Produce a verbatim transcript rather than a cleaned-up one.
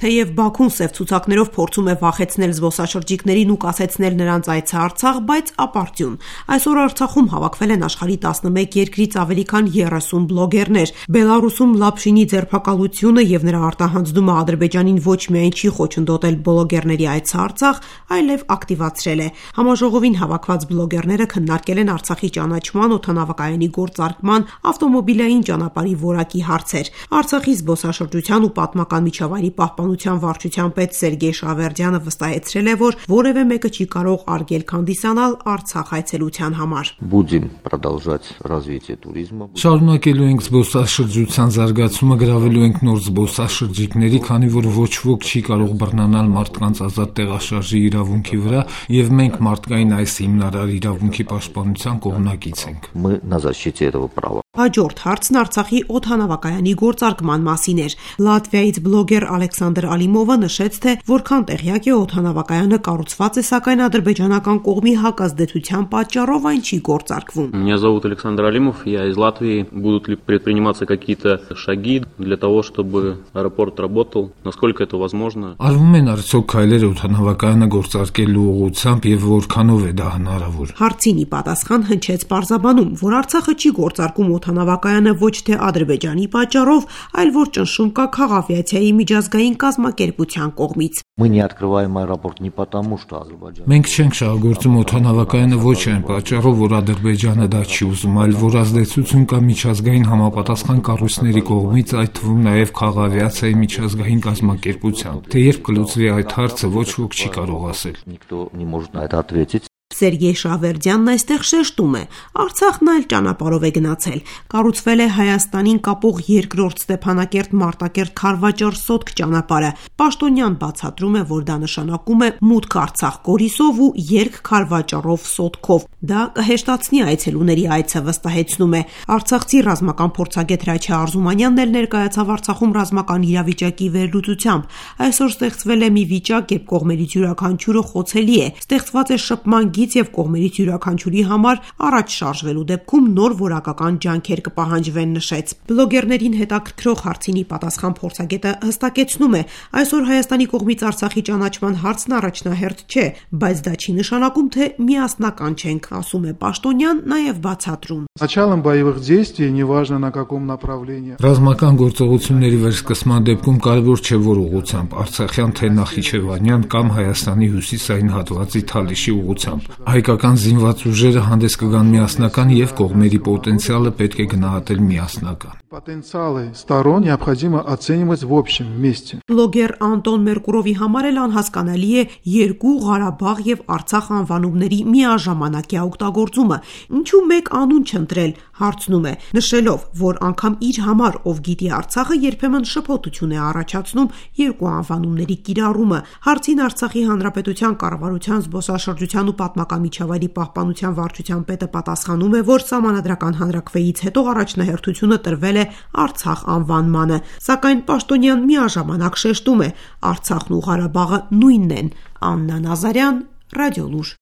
Թեև Բաքուն սև ցուցակներով փորձում է վախեցնել զբոսաշրջիկներին ու կասեցնել նրանց այցը Արցախ, բայց ապարդյուն։ Այսօր Արցախում հավաքվել են աշխարհի տասնմեկ երկրից ավելի քան երեսուն բլոգերներ։ Բելարուսում Լապշինի ձերբակալությունը եւ նրա արտահանձնումը Ադրբեջանին ոչ միայն չի խոչընդոտել բլոգերների այցը Արցախ, այլև ակտիվացրել է։ Համաժողովին հավաքված բլոգերները քննարկել են Արցախի ճանաչման, օդանավակայանի գործարկման, ավտոմոբիլային ճանապարհի որակի հարցեր։ Արցախի զբոսաշրջության ու պատմական միջավայրի պահպանության վարչության պետ Սերգեյ Շավերդյանը վստահեցրել է, որ որևէ մեկը չի կարող արգելք հանդիսանալ Արցախ այցելության համար։ Будем продолжать развитие туризма. Շարունակելու ենք զբոսաշրջության զարգացումը, գրավելու ենք նոր զբոսաշրջիկների, քանի որ ոչ ոք չի կարող բռնանալ մարդկանց ազատ տեղաշարժի իրավունքի վրա, եւ մենք մարդկային այս հիմնարար իրավունքի պաշտպանության կողմնակից ենք։ Мы на защите этого права. Հաջորդ հարցն Արցախի օդանավակայանի գործարկման մասին էր։ Լատվիայից բլոգեր Ալեքսանդր Ալիմովը նշեց, թե որքան տեղյակ է օդանավակայանը կառուցված է, сакայն ադրբեջանական կողմի հակազդեցության պատճառով այն չի գործարկվում։ Меня зовут Александр Алимов, я из Латвии. Будут ли предприниматься какие-то шаги для того, чтобы аэропорт работал? Насколько это возможно? Արվում են արդյոք քայլեր օդանավակայանը գործարկելու ուղղությամբ եւ որքանով է դա հնարավոր։ Հարցինի պատասխան հնչեց պարզաբանում, որ Արցախը չի գործարկում օդանավակայանը ոչ թե Ադրբեջանի պատճառով, այլ որ ճնշում կա քաղավիացիայի միջազգային կազմակերպության կողմից։ Мы не открываем аэропорт не потому, что Азербайджан. Մենք չենք շահագործում օդանավակայանը ոչ այն պատճառով, որ Ադրբեջանը դա չի ուզում, այլ որ ազդեցություն կա միջազգային համապատասխան կառույցների կողմից, այդ թվում նաև քաղավիացիայի միջազգային կազմակերպության։ Թե երբ կլուծվի այդ հարցը, ոչ ոք չի կարող ասել։ Никто не может на это ответить. Սերգեյ Շավերդյանն այստեղ շեշտում է. Արցախն այլ ճանապարհով է գնացել։ Կառուցվել է Հայաստանին կապող երկրորդ Ստեփանակերտ-Մարտակերտ Խարվաճար-Սոտք ճանապարհը։ Պաշտոնյան բացատրում է, որ դա նշանակում է մուտք Արցախ Գորիսով ու երկ Խարվաճարով Սոտքով։ Դա կհեշտացնի այցելուների այցը, վստահեցնում է։ Արցախցի ռազմական փորձագետ Հրաչյա Արզումանյանն էլ ներկայացավ Արցախում ռազմական իրավիճակի վերլուծությամբ։ Այսօր ստեղծվել է մի վիճակ, երբ կողմերից յուրաքանչյուրը խոցելի է։ Ստեղծված է շփման եւ կողմերից յուրաքանչյուրի համար առաջ շարժվելու դեպքում նոր որակական ջանքեր կպահանջվեն, նշեց։ Բլոգերներին հետաքրքրող հարցինի պատասխան փորձագետը հստակեցնում է, այսօր Հայաստանի կողմից Արցախի ճանաչման հարցն առաջնահերթ չէ, բայց դա չի նշանակում, թե միասնական չենք, ասում է Պաշտոնյան, նաեւ բացատրում։ Началом боевых действий, неважно на каком направлении. Ռազմական գործողությունների վերսկսման դեպքում կարևոր չէ որ ուղղությամբ, Արցախյան թե Նախիջևանյան կամ Հայաստանի հյուսիսային հատվածի Թալիշի ուղղությամբ։ Հայկական զինված ուժերը հանդես կգան միասնական եւ կողմերի պոտենցիալը պետք է գնահատել միասնական։ Потенциалы сторон необходимо оценивать в общем вместе. Բլոգեր Անտոն Մերկուրովի համար էլ անհասկանալի է երկու Ղարաբաղ եւ Արցախ անվանումների միաժամանակյա օգտագործումը։ Ինչու մեկ անուն չընտրել, հարցնում է, նշելով, որ անգամ իր համար, ով գիտի Արցախը, երբեմն շփոթություն է առաջացնում երկու անվանումների կիրառումը։ Հարցին Արցախի Հանրապետության կառավարության զբոսաշրջության ու պատմական միջավայրի պահպանության վարչության պետը պատասխանում է, որ Սահմանադրական հանրաքվեից հետո առաջնահերթությունը տրվել է Արցախ անվանմանը, սակայն Պաշտոնյան միաժամանակ շեշտում է, Արցախն ու Ղարաբաղը նույնն են։ Աննա Նազարյան, Ռադիոլուր։